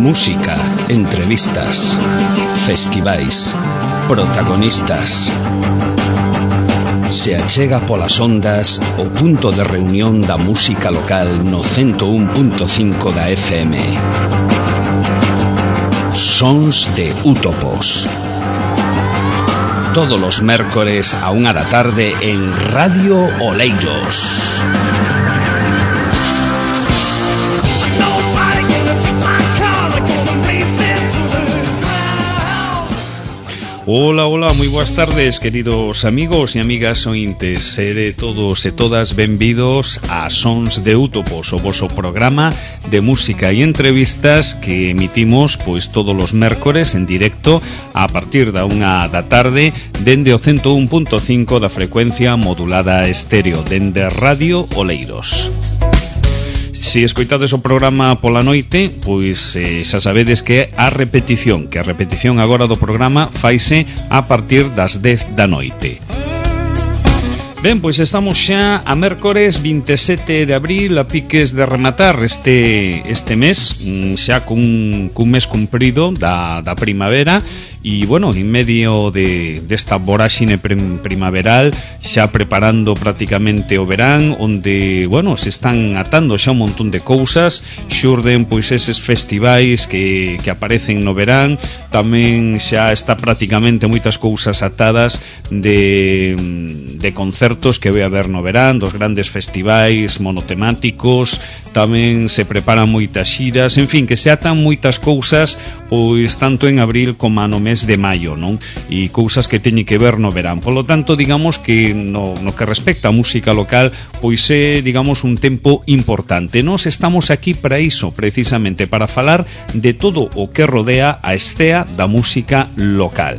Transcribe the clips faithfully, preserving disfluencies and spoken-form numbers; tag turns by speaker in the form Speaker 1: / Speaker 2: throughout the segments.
Speaker 1: Música, entrevistas, festivais, protagonistas. Se achega polas ondas o punto de reunión da música local no ciento un punto cinco da F M. Sons de Útopos. Todos los mércores a unha da tarde en Radio Oleiros. Hola, hola, moi boas tardes, queridos amigos e amigas ointes. Sede todos e todas benvidos a Sons de Útopos, o voso programa de música e entrevistas que emitimos pois todos os mércores en directo a partir da unha da tarde dende o ciento un punto cinco da frecuencia modulada estéreo dende Radio Oleiros. Se escoitades o programa pola noite, pois eh, xa sabedes que a repetición, que a repetición agora do programa faise a partir das dez da noite. Ben, pois estamos xa a mércores vinte e sete de abril, a piques de rematar este este mes, xa cun, cun mes cumprido da, da primavera. E, bueno, en medio de desta voráxine prim, primaveral, xa preparando prácticamente o verán, onde, bueno, se están atando xa un montón de cousas, xurden, pois, eses festivais que, que aparecen no verán, tamén xa está prácticamente moitas cousas atadas de, de concertos que vai haber no verán, dos grandes festivais monotemáticos, tamén se preparan moitas xiras, en fin, que se atan moitas cousas, pois, tanto en abril como no mes de maio, non? E cousas que teñen que ver no verán. Por lo tanto, digamos que no, no que respecta a música local, pois é, digamos, un tempo importante. Nós estamos aquí para iso, precisamente, para falar de todo o que rodea a escena da música local.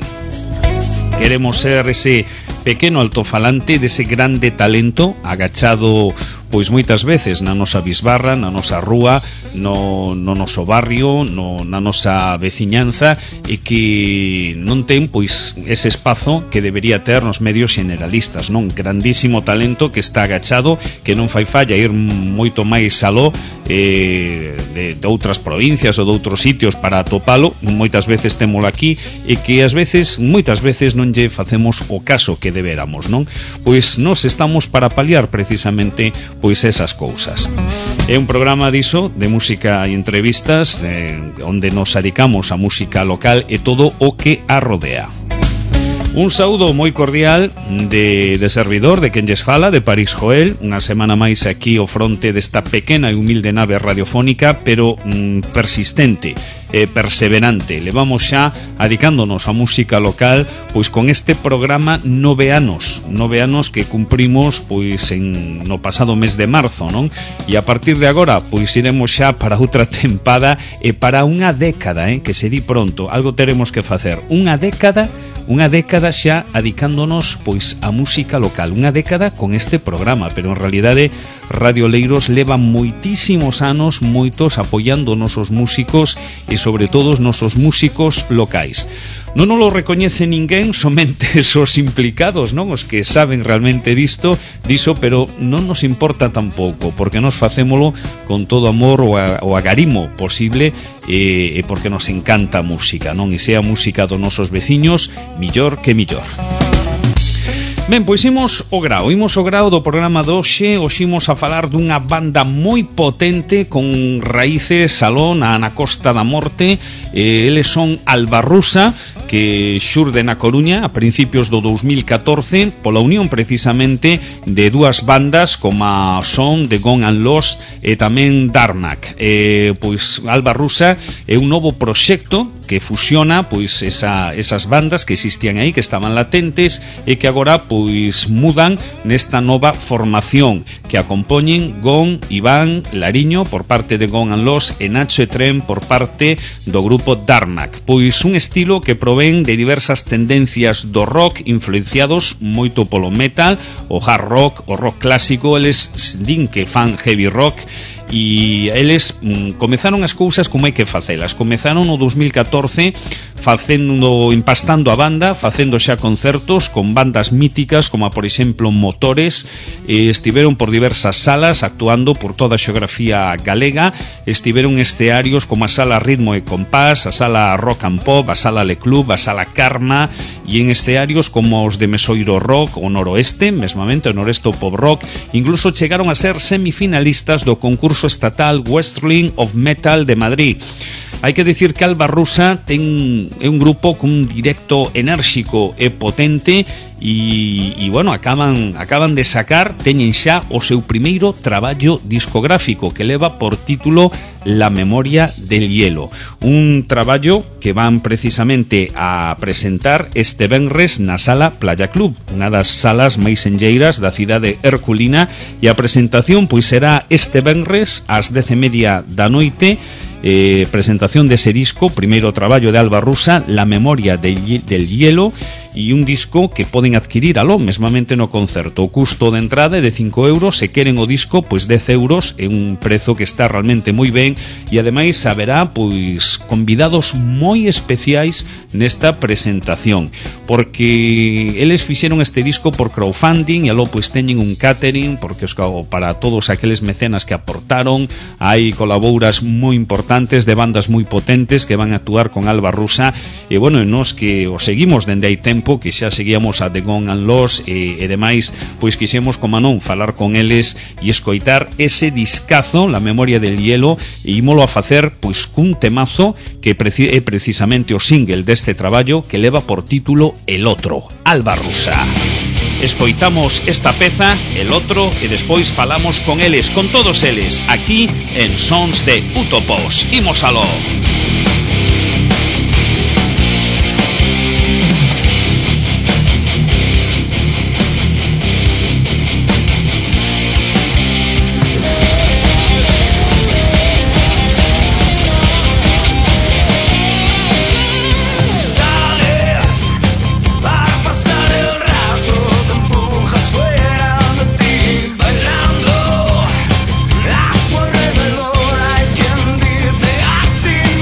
Speaker 1: Queremos ser ese pequeno altofalante dese grande talento agachado, pois moitas veces na nosa bisbarra, na nosa rúa, no, no noso barrio, no, na nosa veciñanza, e que non ten pois ese espazo que debería ter nos medios generalistas, non? Grandísimo talento que está agachado, que non fai falla ir moito máis aló eh, de, de outras provincias ou de outros sitios para atopalo, moitas veces témolo aquí, e que ás veces, moitas veces non lle facemos o caso que deberamos, non? Pois nós estamos para paliar precisamente pois esas cousas. É un programa diso, de música e entrevistas, eh, onde nos adicamos a música local e todo o que a rodea. Un saúdo moi cordial de, de servidor, de quen lles fala, de París Joel, unha semana máis aquí ao fronte desta pequena e humilde nave radiofónica, pero mm, persistente, eh, perseverante. Levamos xa adicándonos a música local, pois con este programa nove anos, nove anos que cumprimos pois en no pasado mes de marzo, non? E a partir de agora, pois iremos xa para outra tempada e para unha década, eh, que se di pronto, algo teremos que facer, unha década Unha década xa adicándonos pois a música local, unha década con este programa, pero en realidade Radio Oleiros leva moitísimos anos, moitos apoiando nosos músicos e sobre todo os nosos músicos locais. Non nos lo recoñece ninguén, somente esos implicados, non? Os que saben realmente disto, diso, pero non nos importa tampouco, porque nos facémolo con todo amor o, a, o agarimo posible e, e porque nos encanta a música, non? E sea a música dos nosos veciños, millor que millor. Ben, pois imos o grao, imos o grao do programa de hoxe. Hoxe imos a falar dunha banda moi potente con raíces aló na, na Costa da Morte. eh, Eles son Albarrusa, que xurde na Coruña a principios do dous mil catorce pola unión precisamente de dúas bandas como son The Gone and Lost e tamén Darnak. eh, Pois Albarrusa é un novo proxecto que fusiona pois esa, esas bandas que existían aí, que estaban latentes e que agora pois mudan nesta nova formación que a compoñen Gon, Iván, Lariño por parte de Gone and Lost e Nacho e Tren por parte do grupo Darnak. Pois un estilo que provén de diversas tendencias do rock influenciados moito polo metal, o hard rock, o rock clásico. Eles din que fan heavy rock e eles mm, comezaron as cousas como hai que facelas. Comezaron no dous mil catorce facendo, empastando a banda, facendo xa concertos con bandas míticas como por exemplo Motores. eh, estiveron por diversas salas actuando por toda a xeografía galega. Estiveron estearios como a Sala Ritmo e Compás, a Sala Rock and Pop, a Sala Le Club, a Sala Karma, e en estearios como os de Mesoiro Rock o Noroeste, mesmamente o Noroeste Pop Rock. Incluso chegaron a ser semifinalistas do concurso estatal Wrestling of Metal de Madrid. Hai que dicir que Alba Rusa ten, é un grupo cun directo enérxico e potente e, e bueno, acaban, acaban de sacar, teñen xa o seu primeiro traballo discográfico que leva por título La Memoria del Hielo, un traballo que van precisamente a presentar este venres na Sala Playa Club, unha das salas máis enlleiras da cidade herculina, e a presentación pois será este venres ás dez e media da noite. Eh, presentación dese disco, primeiro traballo de Alba Rusa, La Memoria del, del Hielo, e un disco que poden adquirir aló mesmamente no concerto. O custo de entrada é de cinco euros, se queren o disco pois dez euros, é un prezo que está realmente moi ben, e ademais haberá pois convidados moi especiais nesta presentación, porque eles fixeron este disco por crowdfunding e aló pois teñen un catering, porque os, para todos aqueles mecenas que aportaron, hai colaboras moi importantes de bandas moi potentes que van a actuar con Alba Rusa, e bueno, nos que o seguimos dende hai tempo, que xa seguíamos a The Gone and Lost e, e demais, pois quixemos, como non, falar con eles e escoitar ese discazo, La Memoria del Hielo, e ímolo a facer pois cun temazo que preci- é precisamente o single deste traballo que leva por título El Otro, Alba Rusa. Escoitamos esta peza, El Otro, e despois falamos con eles, con todos eles, aquí en Sons de Utopos. Imos aló.
Speaker 2: Sin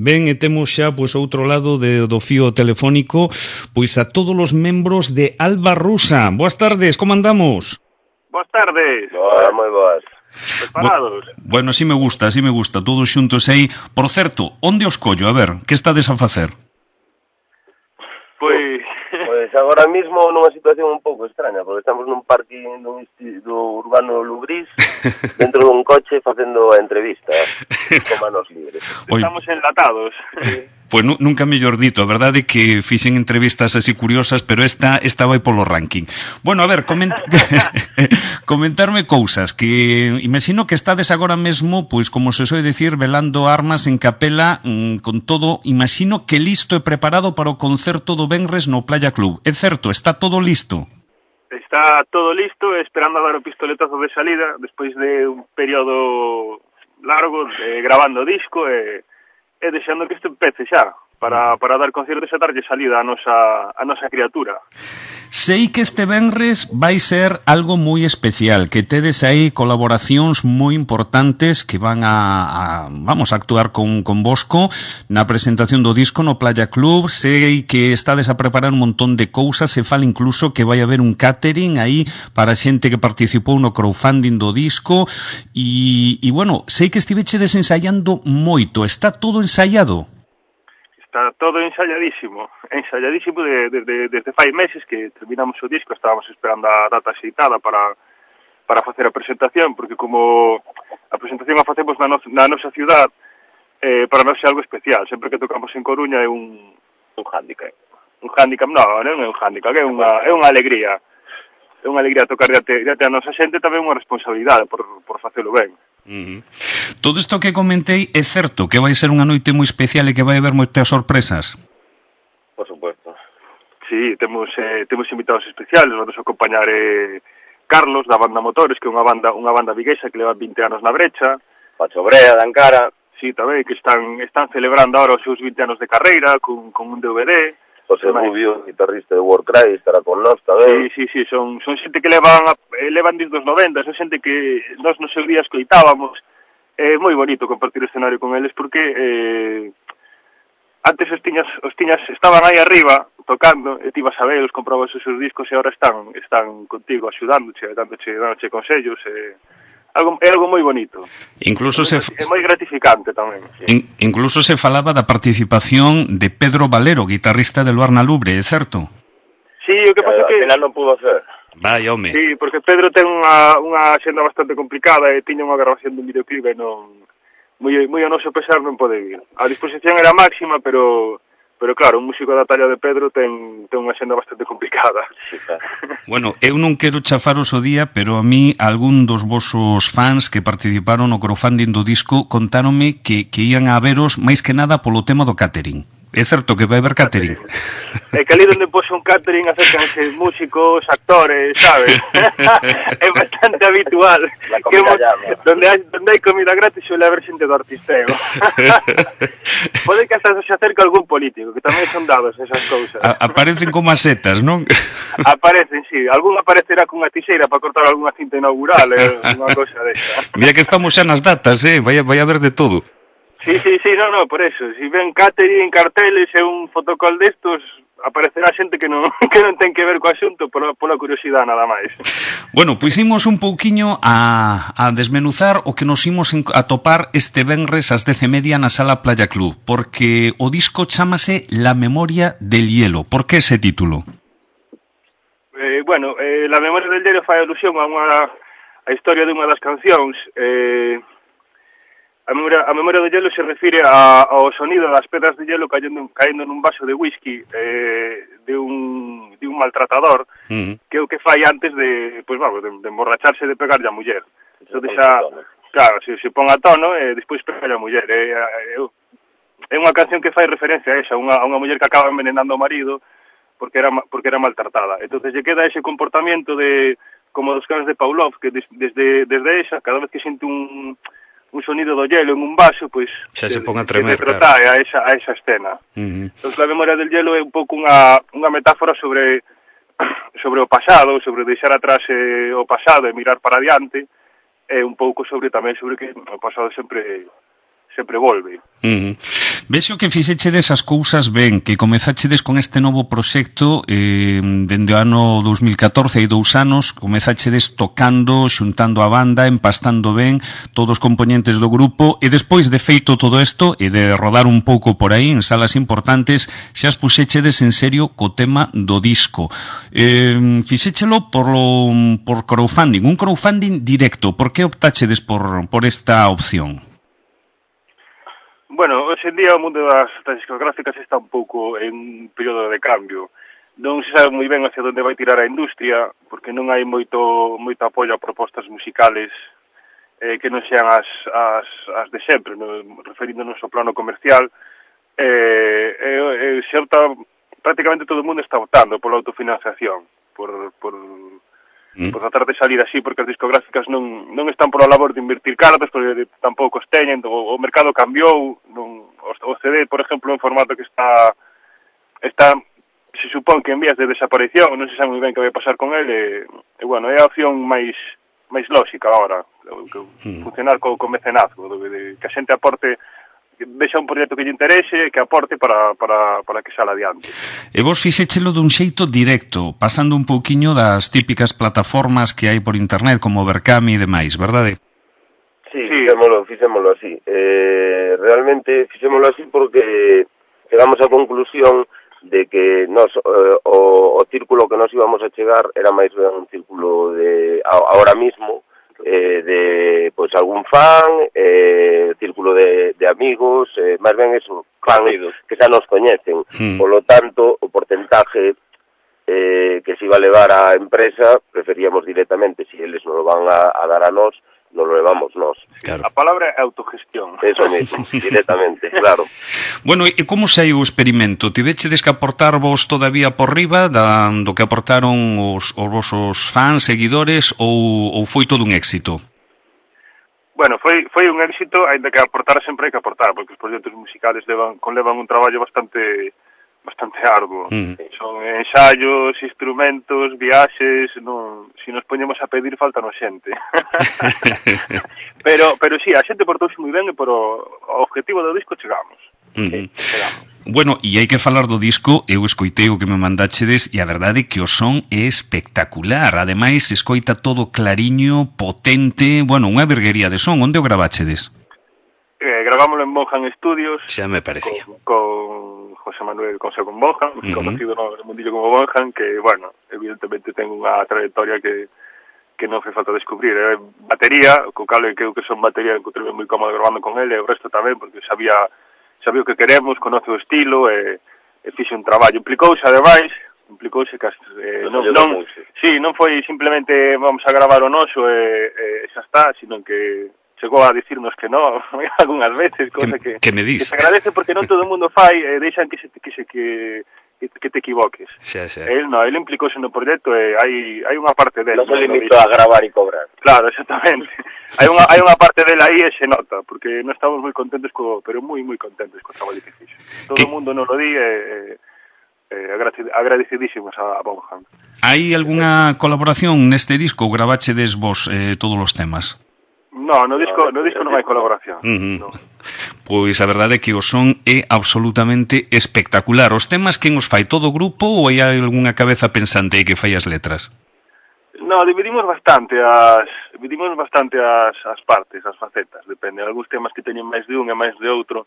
Speaker 1: Ben, e temos xa pois outro lado de, do fío telefónico pois a todos os membros de Alba Rusa. Boas tardes, como andamos?
Speaker 2: Boas tardes.
Speaker 3: Boa, moi boas.
Speaker 2: Preparados?
Speaker 1: Bo, bueno, así me gusta, así me gusta, todos xuntos aí. Por certo, onde os collo? A ver, que estades a facer?
Speaker 2: Pois...
Speaker 3: Pois agora mismo nunha situación un pouco extraña, porque estamos nun parque dun do urbano Lubrís, dentro dun coche facendo a entrevista con manos libres.
Speaker 2: Estamos enlatados.
Speaker 1: Pois nu, nunca mellor dito, a verdade é que fixen entrevistas así curiosas, pero esta esta vai polo ranking. Bueno, a ver, coment... comentarme cousas que imagino que estades agora mesmo, pois como se soe dicir, velando armas en capela, mmm, con todo, imagino que listo e preparado para o concerto do venres no Playa Club. É certo, está todo listo?
Speaker 2: Está todo listo, esperando a dar o pistoletazo de salida, despois de un período largo de, grabando o disco e, e deixando que isto empece xa, para, para dar concertos e darlle salida a nosa, a nosa criatura.
Speaker 1: Sei que este venres vai ser algo moi especial, que tedes aí colaboracións moi importantes que van a, a vamos a actuar con, con Bosco na presentación do disco no Playa Club. Sei que estades a preparar un montón de cousas, se fala incluso que vai haber un catering aí para xente que participou no crowdfunding do disco e, e bueno, sei que estivechedes ensaiando moito, está todo ensaiado?
Speaker 2: Está todo ensayadísimo, ensayadísimo de, de, de, desde fai meses que terminamos o disco, estábamos esperando a data aceitada para, para facer a presentación, porque como a presentación a facemos na, no, na nosa ciudad, eh, para nós é algo especial, sempre que tocamos en Coruña é un, un hándicap, un hándicap, non, non é un hándicap, é unha, é unha alegría, é unha alegría tocar diante, diante a nosa xente, tamén unha responsabilidade por, por facelo ben.
Speaker 1: Uh-huh. Todo isto que comentei é certo que vai ser unha noite moi especial e que vai haber moitas sorpresas?
Speaker 3: Por supuesto.
Speaker 2: Sí, temos eh, temos invitados especiales, vamos a acompañar eh, Carlos da banda Motores, que é unha banda unha banda viguesa que leva vinte anos na brecha.
Speaker 3: Pacho Brea, da Encara.
Speaker 2: Sí, tamén, que están están celebrando ahora os seus vinte anos de carreira con, con un D V D.
Speaker 3: José Rubio, guitarrista de Warcry, estará con nós tamén.
Speaker 2: Sí, sí, sí, son, son xente que levan eh, levan desde os noventa, son xente que nós nos seus días coitábamos. É eh, moi bonito compartir o escenario con eles porque eh, antes os tiñas, os tiñas estaban aí arriba tocando e ti vas a ver, os comprabas os seus discos e agora están están contigo axudándoche, dándoche, dándoche consellos e algo, é algo moi bonito.
Speaker 1: Incluso
Speaker 2: é,
Speaker 1: se
Speaker 2: é moi gratificante tamén. Sí.
Speaker 1: In, incluso se falaba da participación de Pedro Valero, guitarrista de Luarna Lubre, é certo?
Speaker 2: Sí, o que pasa
Speaker 3: que
Speaker 2: que...
Speaker 3: al final non pudo hacer.
Speaker 1: Vai, home.
Speaker 2: Sí, porque Pedro ten unha, unha xenda bastante complicada e tiña unha grabación dun videoclip e non... Moi, moi a noso pesar non pode vir. A disposición era máxima, pero... Pero claro, un músico da talla de Pedro ten, ten unha xenda bastante complicada.
Speaker 3: Sí, claro.
Speaker 1: Bueno, eu non quero chafaros o día, pero a mí algún dos vosos fans que participaron no crowdfunding do disco contáronme que, que ian a veros máis que nada polo tema do catering. É certo que vai haber catering.
Speaker 2: É que ali onde pose un catering acércanse músicos, actores, sabes? É bastante habitual.
Speaker 3: La comida llama.
Speaker 2: Donde hai, donde hai comida gratis suele haber xente do artisteo. Pode que hasta se acerque algún político, que tamén son dados esas cousas.
Speaker 1: A, aparecen como as setas, non?
Speaker 2: Aparecen, sí. Algún aparecerá cunha tixeira para cortar algunha cinta inaugural, eh, unha cousa desta.
Speaker 1: Mira que estamos xa nas datas, eh? Vai, vai haber de todo.
Speaker 2: Sí, sí, sí, no, no, por eso. Si ven catering, carteles e un fotocall destos, aparecerá xente que non que non ten que ver co asunto pola, pola curiosidade nada máis.
Speaker 1: Bueno, pois imos un pouquiño a, a desmenuzar o que nos imos a topar este venres ás dez e media na Sala Playa Club, porque o disco chámase La memoria del hielo. Por que ese título?
Speaker 2: Eh, bueno, eh, La memoria del hielo fai alusión a unha a historia de unha das cancións. Eh, A memoria, a memoria do hielo se refire a, ao sonido das pedras de hielo cayendo, cayendo nun vaso de whisky eh, de un de un maltratador, uh-huh. que é o que fai antes de, pois vamos, de, de emborracharse de pegarlle a muller. Entón, xa, claro, se, se pon a tono e despois pegarlle a muller. É, é, é unha canción que fai referencia a esa, unha, a unha muller que acaba envenenando o marido porque era porque era maltratada. Entonces lle queda ese comportamento de como dos cans de Pavlov, que des, desde desde esa, cada vez que xente un un sonido do hielo en un vaso, pois
Speaker 1: xa se pon a tremer,
Speaker 2: claro, a esa a esa escena.
Speaker 1: Uh-huh.
Speaker 2: Entón, a memoria del hielo é un pouco unha unha metáfora sobre sobre o pasado, sobre deixar atrás eh, o pasado e mirar para adiante, e un pouco sobre tamén sobre que o pasado sempre sempre volve.
Speaker 1: Uh-huh. Vexo que fixechedes as cousas ben, que comezachedes con este novo proxecto eh, dende o ano dos mil catorce, hai dous anos, comezachedes tocando, xuntando a banda, empastando ben todos os componentes do grupo, e despois de feito todo isto e de rodar un pouco por aí en salas importantes, xa as puxechedes en serio co tema do disco. Eh, fixéchelo por, lo, por crowdfunding, un crowdfunding directo. Por que optachedes por, por esta opción?
Speaker 2: Bueno, hoxe en día o mundo das, das discográficas está un pouco en un período de cambio. Non se sabe moi ben hacia onde vai tirar a industria, porque non hai moito moito apoio a propostas musicales eh, que non sean as, as, as de sempre, no, referíndonos ao plano comercial. Eh, eh, se opta, prácticamente todo o mundo está optando pola autofinanciación, por... por Mm. por tratar de salir así, porque as discográficas non, non están por a labor de invertir cartos, porque tampouco os teñen, o, o mercado cambiou, non, o C D, por exemplo, en formato que está, está se supón que en vías de desaparición, non se sabe moi ben que vai pasar con ele, e, e bueno, é a opción máis máis lógica agora, que, mm. funcionar co, co mecenazgo, de, de, que a xente aporte, vexa un proxecto que lle interese, que aporte para, para, para que sala adiante.
Speaker 1: E vos fixéchelo dun xeito directo, pasando un pouquiño das típicas plataformas que hai por internet, como Berkami e demais, verdade?
Speaker 3: Sí, sí. Fixémolo, fixémolo así. Eh, realmente fixémolo así porque chegamos á conclusión de que nos, eh, o, o círculo que nos íbamos a chegar era máis ben un círculo de, ahora mismo, eh, de pues algún fan, eh, círculo de, de amigos, eh, máis ben eso, fans que xa nos coñecen. Mm. Por lo tanto, o porcentaje eh, que se iba a levar a empresa, preferíamos directamente, si eles nos lo van a, a dar a nós, nos lo levamos nós.
Speaker 2: Claro. A palabra é autogestión.
Speaker 3: Eso mesmo, directamente, claro.
Speaker 1: Bueno, e como saiu o experimento? Tivechedes que aportar vos todavía por riba da, do que aportaron os, os vosos fans, seguidores, ou, ou foi todo un éxito?
Speaker 2: Bueno, foi foi un éxito, ainda que aportar sempre hai que aportar, porque os proxectos musicales levan, conlevan un traballo bastante bastante arduo. Mm. Son ensaios, instrumentos, viaxes, non, si nos poñemos a pedir falta no xente. pero pero si, sí, a xente portouse moi ben e por o, o objetivo do disco chegamos. Mm. Sí, chegamos.
Speaker 1: Bueno, e hai que falar do disco, eu escoitei o que me mandachedes e a verdade é que o son é espectacular. Ademais, escoita todo clariño, potente, bueno, unha virguería de son. Onde o gravachedes?
Speaker 2: Eh, gravámoslo en Bonham Studios.
Speaker 1: Xa me parecía.
Speaker 2: Con, con José Manuel Consejo en Bonham, uh-huh. conocido no mundillo como Bonham, que, bueno, evidentemente ten unha trayectoria que que non fai falta descubrir. É batería, co cal que eu que son batería, encontrei moi cómodo grabando con ele, e o resto tamén, porque sabía sabía o que queremos, conoce o estilo, e, e fixe un traballo. Implicouse, ademais, implicouse que eh, non, non, sí, non foi simplemente vamos a gravar o noso e, e xa está, sino que chegou a dicirnos que non, algunhas veces, cosa que,
Speaker 1: que, me
Speaker 2: que se agradece porque non todo o mundo fai e deixan que se que se que que, que te equivoques.
Speaker 1: Xa, xa.
Speaker 2: El non, el implicouse no proxecto e hai hai unha parte dele.
Speaker 3: Non se limitó a gravar e cobrar.
Speaker 2: Claro, exactamente. hai unha hai unha parte dele aí e se nota, porque non estamos moi contentos co, pero moi moi contentos co traballo que fixo. Todo o mundo non lo di e eh, agradecidísimos a, a Bonham.
Speaker 1: Hai algunha colaboración neste disco? Gravachedes vos eh, todos os temas?
Speaker 2: No, no disco, no disco non hai colaboración.
Speaker 1: Uh-huh.
Speaker 2: No.
Speaker 1: Pois a verdade é que o son é absolutamente espectacular. Os temas quen os fai, todo o grupo ou hai algunha cabeza pensante aí que fai as letras?
Speaker 2: No, dividimos bastante as dividimos bastante as, as partes, as facetas, depende. Algúns temas que teñen máis de un e máis de outro,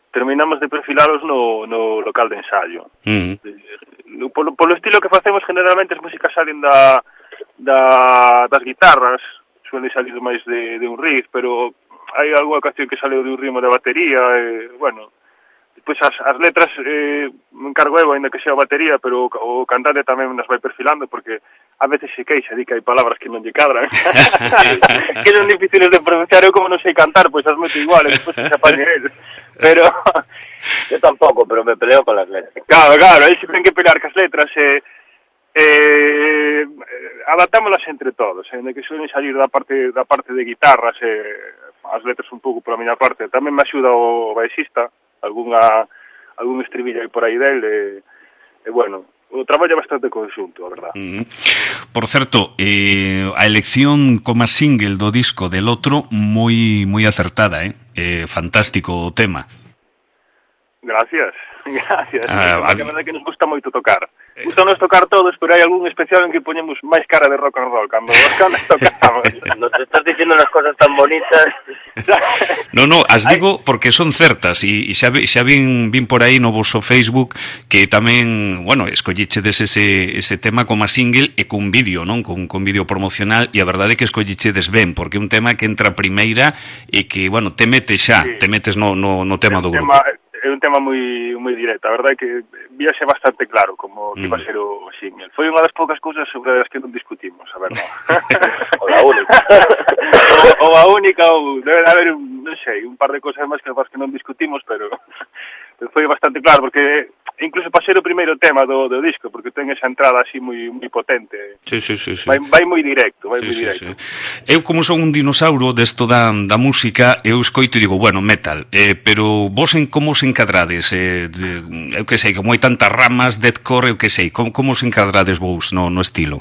Speaker 2: terminamos de perfilalos no, no local de ensayo. Uh-huh. Polo, polo estilo que facemos, generalmente as músicas salen da, da, das guitarras, suele salir máis de, de un riff, pero hai algunha ocasión que sale de un ritmo de batería, e, bueno, despois as, as letras eh, me encargo eu, ainda que sea batería, pero o, o cantante tamén nas vai perfilando, porque a veces se queixa, di que hai palabras que non lle cadran, que son difíciles de pronunciar, eu como non sei cantar, pois as meto igual, e despois se apañe el, pero...
Speaker 3: yo tampouco, pero me peleo con las letras.
Speaker 2: Claro, claro, aí se ten que pelear cas letras, e... Eh, Eh, adaptámolas entre todos, eh, de que suelen salir da parte da parte de guitarras, eh, as letras un pouco pola miña parte. Tamén me axuda o baixista, algunha algún estribillo aí por aí del, e, e bueno, o traballo é bastante conxunto, a verdad.
Speaker 1: Mm. Por certo, eh, a elección como single do disco del outro moi moi acertada, eh? eh fantástico o tema.
Speaker 2: Gracias, gracias.
Speaker 1: Ah,
Speaker 2: a, a verdade que nos gusta moito tocar. Gusta nos tocar todos, pero hai algún especial en que poñemos máis cara de rock and roll cando os canas tocamos.
Speaker 3: Nos estás dicindo unas cosas tan bonitas.
Speaker 1: No, no, as digo porque son certas e, e xa, xa vin, vin por aí no vosso Facebook que tamén, bueno, escollichedes ese, ese tema como single e con vídeo, non? Con, con vídeo promocional, e a verdade é que escollichedes ben, porque é un tema que entra primeira e que, bueno, te metes xa, sí. te metes no, no, no tema do grupo.
Speaker 2: Tema, é un tema moi moi directo, a verdade é que víase bastante claro como que iba a ser o, o single. Foi unha das poucas cousas sobre as que non discutimos, a verdade.
Speaker 3: O a única.
Speaker 2: o, o a única, ou debe haber, non sei, un par de cousas máis que as que non discutimos, pero foi bastante claro, porque incluso para ser o primeiro tema do, do disco, porque ten esa entrada así moi moi potente.
Speaker 1: Sí, sí, sí, sí.
Speaker 2: Vai, vai moi directo, vai
Speaker 1: sí,
Speaker 2: moi
Speaker 1: sí,
Speaker 2: directo.
Speaker 1: Sí. Eu, como son un dinosauro desto da, da música, eu escoito e digo, bueno, metal, eh, pero vos en como se encadrades? Eh, de, eu que sei, como hai tantas ramas, deathcore, eu que sei, como, como se encadrades vos no, no estilo?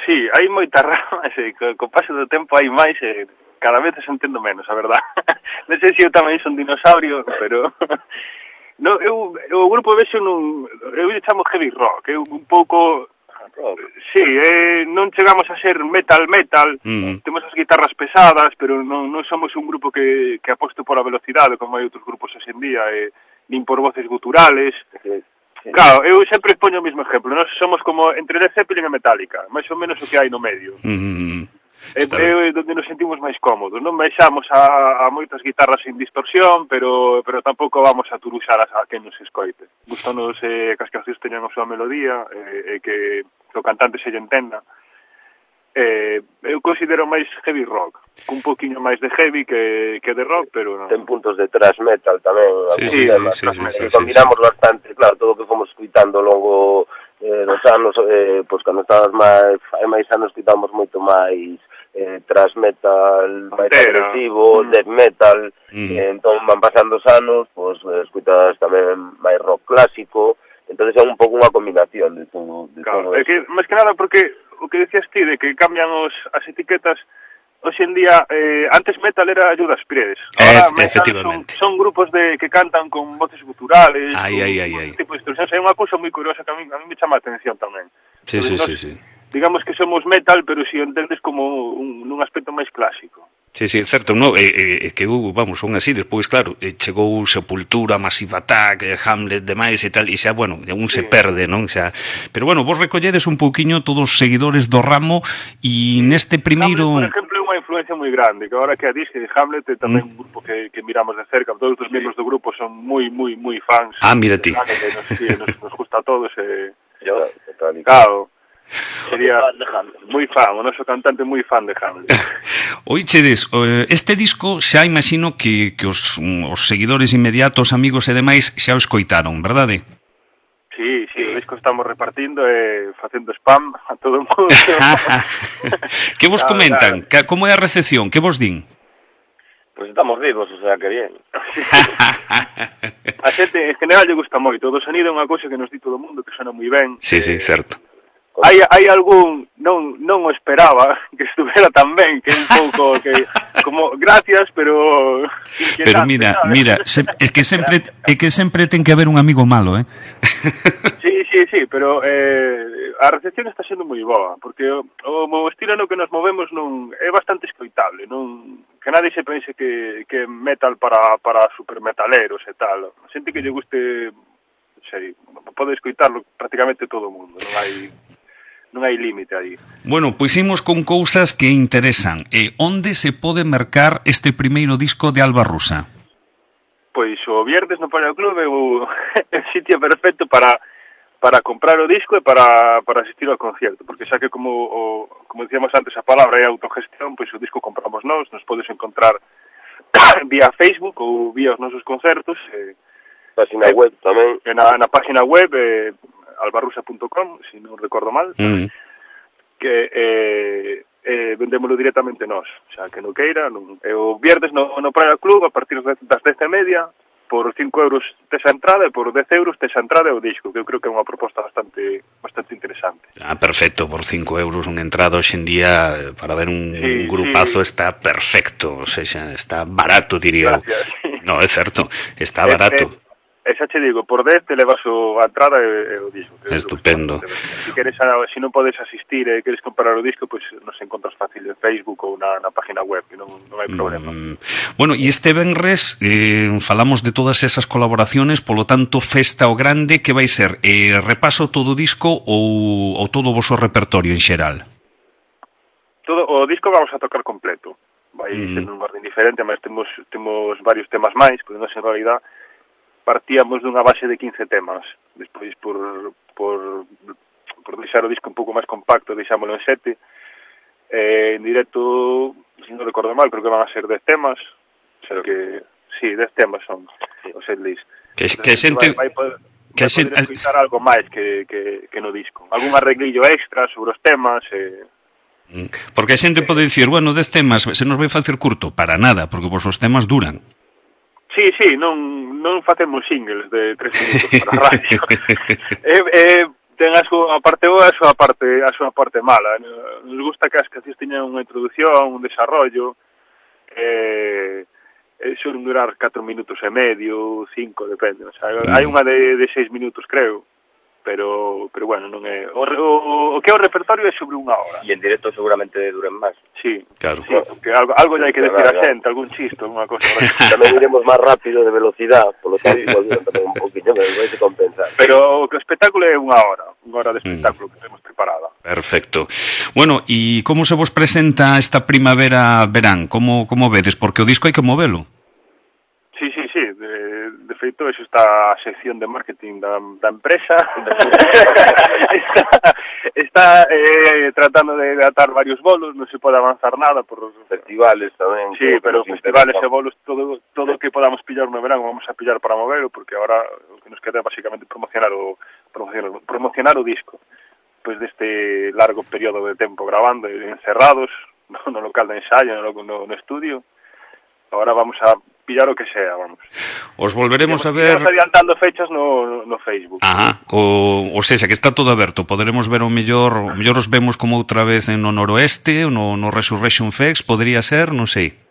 Speaker 2: Sí, hai moitas ramas, e co, co paso do tempo hai máis, e cada vez se entendo menos, a verdad. Non sei se eu tamén son dinosaurio, pero... No, eu, eu o grupo vexo nun... Eu lle chamo heavy rock, eu un pouco...
Speaker 3: Rock.
Speaker 2: Sí, eh, non chegamos a ser metal metal, mm. temos as guitarras pesadas, pero non, non somos un grupo que, que aposto por a velocidade, como hai outros grupos hoxe en día, eh, nin por voces guturales. Sí, sí. Claro, eu sempre poño o mesmo exemplo, nós somos como entre Led Zeppelin e Metallica, máis ou menos o que hai no medio. Mm. É, é onde nos sentimos máis cómodos, non baixamos a, a moitas guitarras sin distorsión, pero pero tampouco vamos a turuxar a, a quen nos escoite. Gustanos eh, que as cancións teñan a súa melodía, e eh, que o cantante se lle entenda. Eh, eu considero máis heavy rock, un poquinho máis de heavy que, que de rock, pero non.
Speaker 3: Ten puntos de thrash metal tamén,
Speaker 1: sí, sí, temas, sí, sí, sí, sí,
Speaker 3: combinamos
Speaker 1: sí, sí.
Speaker 3: bastante, claro, todo o que fomos escuitando logo eh, dos anos, eh, pois cando estábamos máis, hai máis anos escuitamos moito máis eh, thrash metal máis agresivo, mm. death metal, mm. eh, entón van pasando os anos, pois escuitas tamén máis rock clásico, entonces é un pouco unha combinación de todo, de
Speaker 2: claro,
Speaker 3: todo
Speaker 2: é que, máis que nada porque o que decías ti de que cambian os, as etiquetas, hoxe en día, eh, antes metal era Judas Priest,
Speaker 1: ahora eh, efectivamente.
Speaker 2: Son, son grupos de que cantan con voces guturales,
Speaker 1: ay,
Speaker 2: con,
Speaker 1: ay, ay,
Speaker 2: con
Speaker 1: ay.
Speaker 2: tipo de distorsións, é unha cousa moi curiosa que a mí, a mí me chama a atención tamén.
Speaker 1: Sí,
Speaker 2: Entonces,
Speaker 1: sí,
Speaker 2: nos,
Speaker 1: sí, sí.
Speaker 2: Digamos que somos metal, pero si entendes como un, un aspecto máis clásico.
Speaker 1: Sí, sí, certo, no, é, é, é que, uh, vamos, son así, despois, claro, chegou Sepultura, Massive Attack, Hamlet, demais e tal, e xa, bueno, un sí. se perde, non? Xa, pero, bueno, vos recolledes un pouquiño todos os seguidores do ramo, e neste primeiro...
Speaker 2: Hamlet, por exemplo, é unha influencia moi grande, que agora que a disque de Hamlet é tamén mm. un grupo que, que miramos de cerca, todos os membros do grupo son moi, moi, moi fans.
Speaker 1: Ah, mira ti.
Speaker 2: Nos, sí, nos, nos gusta a todos, e...
Speaker 3: Yo,
Speaker 2: claro. Sería moi fan, o noso cantante moi fan de Hamlet.
Speaker 1: Oichedes, este disco xa imagino que, que os, os seguidores inmediatos, amigos e demais xa o escoitaron, verdade?
Speaker 2: Sí, sí, o disco estamos repartindo e facendo spam a todo o mundo.
Speaker 1: Que vos comentan? Claro. Como é a recepción? Que vos din?
Speaker 3: Pues estamos vivos, o sea que bien.
Speaker 2: A xente en general lle gusta moito, o sonido é unha cousa que nos di todo o mundo, que sona moi ben.
Speaker 1: Sí, sí, certo.
Speaker 2: Hai, hai algún, non non o esperaba que estuvera tan ben, que é un pouco que como gracias, pero
Speaker 1: pero mira, ¿sabes? Mira, se, é que sempre é que sempre ten que haber un amigo malo, eh.
Speaker 2: Sí, sí, sí, pero eh, a recepción está sendo moi boa, porque o, o estilo no que nos movemos non é bastante escoitable, non que nadie se pense que que metal para para supermetaleros e tal. A xente que lle guste, sei, pode escoitarlo prácticamente todo o mundo, non hai non hai límite aí.
Speaker 1: Bueno, pois imos con cousas que interesan. E onde se pode mercar este primeiro disco de Alba Rusa?
Speaker 2: Pois o viernes no Palio Club é o, o sitio perfecto para para comprar o disco e para, para asistir ao concierto, porque xa que como o, como dicíamos antes a palabra é autogestión, pois o disco compramos nós, nos podes encontrar vía Facebook ou vía os nosos concertos. Eh,
Speaker 3: página eh, web tamén.
Speaker 2: Na, na página web eh, albarrusa punto com, se si non recordo mal, mm. que eh, eh, vendémolo directamente nós, xa que non queira, non, eh, o viernes no, no Praia Club, a partir das dez e media, por cinco euros tes a entrada e por dez euros tes a entrada e o disco, que eu creo que é unha proposta bastante bastante interesante.
Speaker 1: Ah, perfecto, por cinco euros unha entrada hoxe en día para ver un, sí, un grupazo sí. Está perfecto, o sea, está barato, diría. Gracias. No, é certo, está barato.
Speaker 2: Eh, eh, Esa che digo, por dez te levas o, a entrada e, e o disco.
Speaker 1: Estupendo.
Speaker 2: Se queres, se non podes asistir e queres comprar o disco, pois pues, nos encontras fácil en Facebook ou na, na página web, que non, non hai problema.
Speaker 1: Mm, bueno, e este venres eh, falamos de todas esas colaboraciones, polo tanto, festa o grande, que vai ser? Eh, repaso todo o disco ou, ou todo o vosso repertorio en xeral?
Speaker 2: Todo o disco vamos a tocar completo. Vai mm. ser un orden diferente, mas temos, temos varios temas máis, porque non en realidad partíamos dunha base de quince temas, despois por, por, por deixar o disco un pouco máis compacto, deixámoslo en sete, eh, en directo, se non recordo mal, creo que van a ser dez temas, o sea que, sí, dez temas son o setlist.
Speaker 1: Que, que xente...
Speaker 2: Vai, vai poder, que vai poder escutar algo máis que, que, que no disco, algún arreglillo extra sobre os temas, eh,
Speaker 1: porque a xente pode dicir, bueno, dez temas, se nos vai facer curto, para nada, porque vos os temas duran.
Speaker 2: Sí, sí, non, non facemos singles de tres minutos para a radio. eh, eh, ten a súa parte boa e a súa parte, a súa parte mala. Nos gusta que as cancións teñan unha introducción, un desarrollo, eh, eh, suelen durar catro minutos e medio, cinco, depende. O sea, mm. hai unha de, de seis minutos, creo, pero pero bueno, non é... O, o, o que é o repertorio é sobre unha hora.
Speaker 3: E en directo seguramente duren máis.
Speaker 2: Sí,
Speaker 1: claro.
Speaker 2: Sí, porque algo, algo ya hai que decir a xente, algún chiste, alguna cosa.
Speaker 3: Tamén iremos máis rápido de velocidade, polo tanto, igual tamén un poquinho, pero vai se compensar.
Speaker 2: Pero o espectáculo é unha hora, unha hora de espectáculo mm. que temos preparada.
Speaker 1: Perfecto. Bueno, e como se vos presenta esta primavera-verán? Como, como vedes? Porque o disco hai que movelo.
Speaker 2: Sí, sí, sí, de, de feito, eso está a sección de marketing da, da empresa, está, está eh, tratando de atar varios bolos, non se pode avanzar nada por os
Speaker 3: festivales tamén.
Speaker 2: Sí, pero festivales e bolos, todo todo que podamos pillar no verán vamos a pillar para moverlo, porque agora o que nos queda é basicamente promocionar o, promocionar, promocionar o disco, pois deste largo período de tempo grabando, encerrados, no, no local de ensayo, no, no, no estudio. Ahora vamos a pillar o que sea, vamos.
Speaker 1: Os volveremos a ver...
Speaker 2: Estamos adiantando fechas no, no Facebook.
Speaker 1: Ajá, o, o sea, que está todo aberto. Poderemos ver o mellor, o mellor os vemos como outra vez en no Noroeste, no, no Resurrection Fest, podría ser, non sei.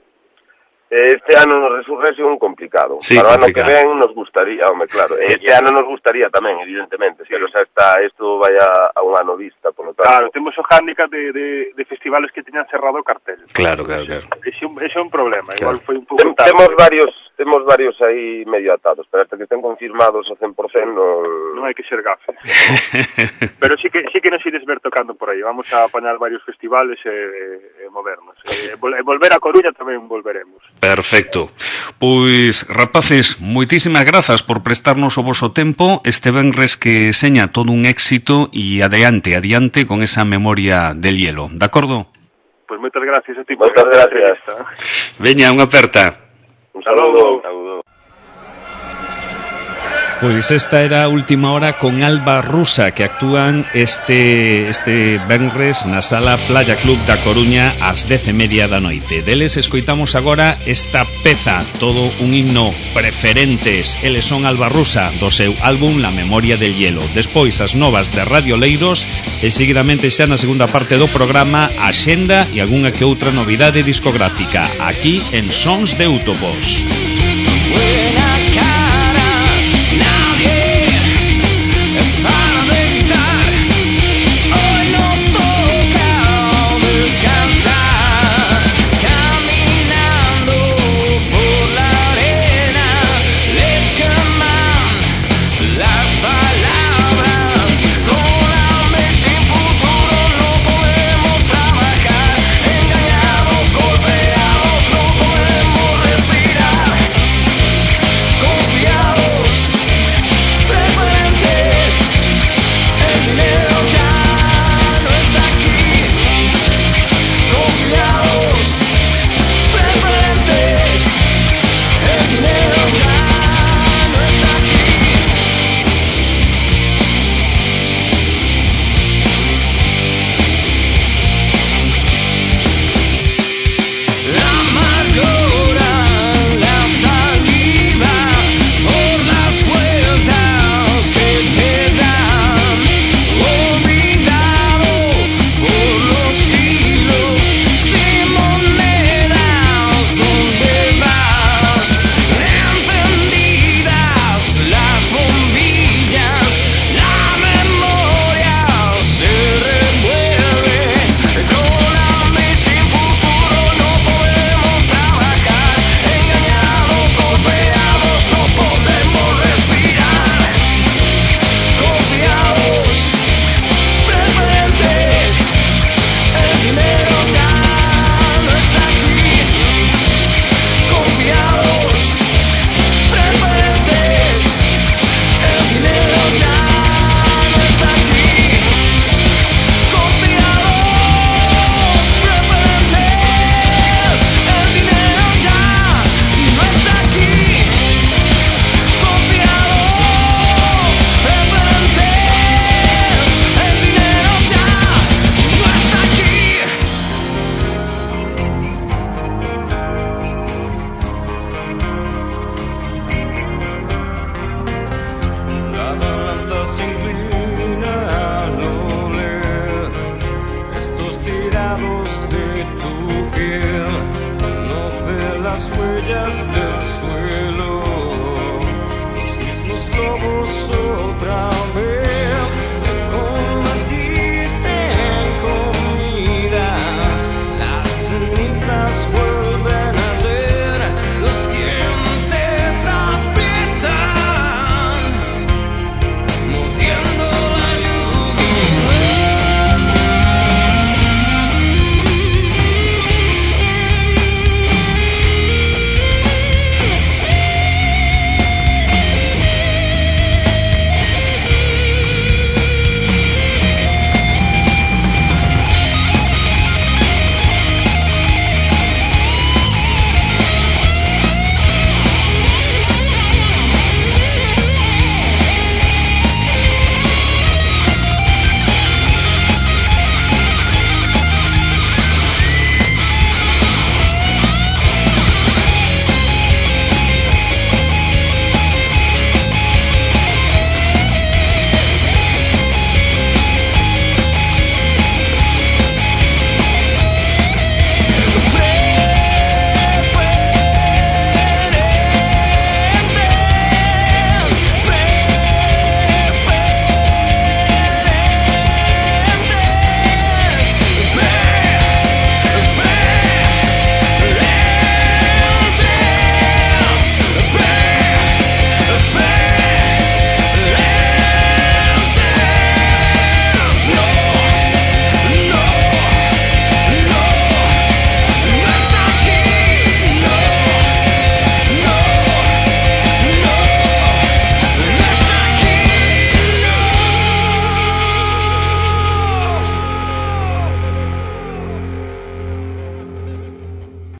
Speaker 3: Este ano no Resurrection complicado.
Speaker 1: Sí,
Speaker 3: para o ano
Speaker 1: complicado.
Speaker 3: Que ven nos gustaría, home, claro. Este ano nos gustaría tamén, evidentemente, sí. Pero xa está, isto vai a, a un ano vista, por lo tanto.
Speaker 2: Claro, temos o hándicap de, de, de festivales que teñan cerrado o cartel.
Speaker 1: Claro, claro, claro.
Speaker 2: Ese é un problema,
Speaker 1: claro.
Speaker 2: Igual foi un pouco
Speaker 3: Tem, temos varios, temos varios aí medio atados, pero hasta que estén confirmados ao cen por cento non...
Speaker 2: Non hai que ser gafes. Pero sí que sí que nos ides ver tocando por aí. Vamos a apañar varios festivales e, e movernos. E, e volver a Coruña tamén volveremos.
Speaker 1: Perfecto. Pois, rapaces, moitísimas grazas por prestarnos o voso tempo este venres que seña todo un éxito e adiante, adiante con esa memoria del hielo. De acordo?
Speaker 2: Pois moitas gracias a ti.
Speaker 3: Moitas gracias.
Speaker 1: Veña, unha aperta.
Speaker 3: Un saludo. Un saludo.
Speaker 1: Pois esta era a última hora con Alba Rusa, que actúan este este venres na sala Playa Club da Coruña ás dez e media da noite. Deles escoitamos agora esta peza, todo un himno, Preferentes. Eles son Alba Rusa, do seu álbum La Memoria del Hielo. Despois as novas de Radio Leiros e seguidamente xa na segunda parte do programa a xenda e algunha que outra novidade discográfica aquí en Sons de Útopos.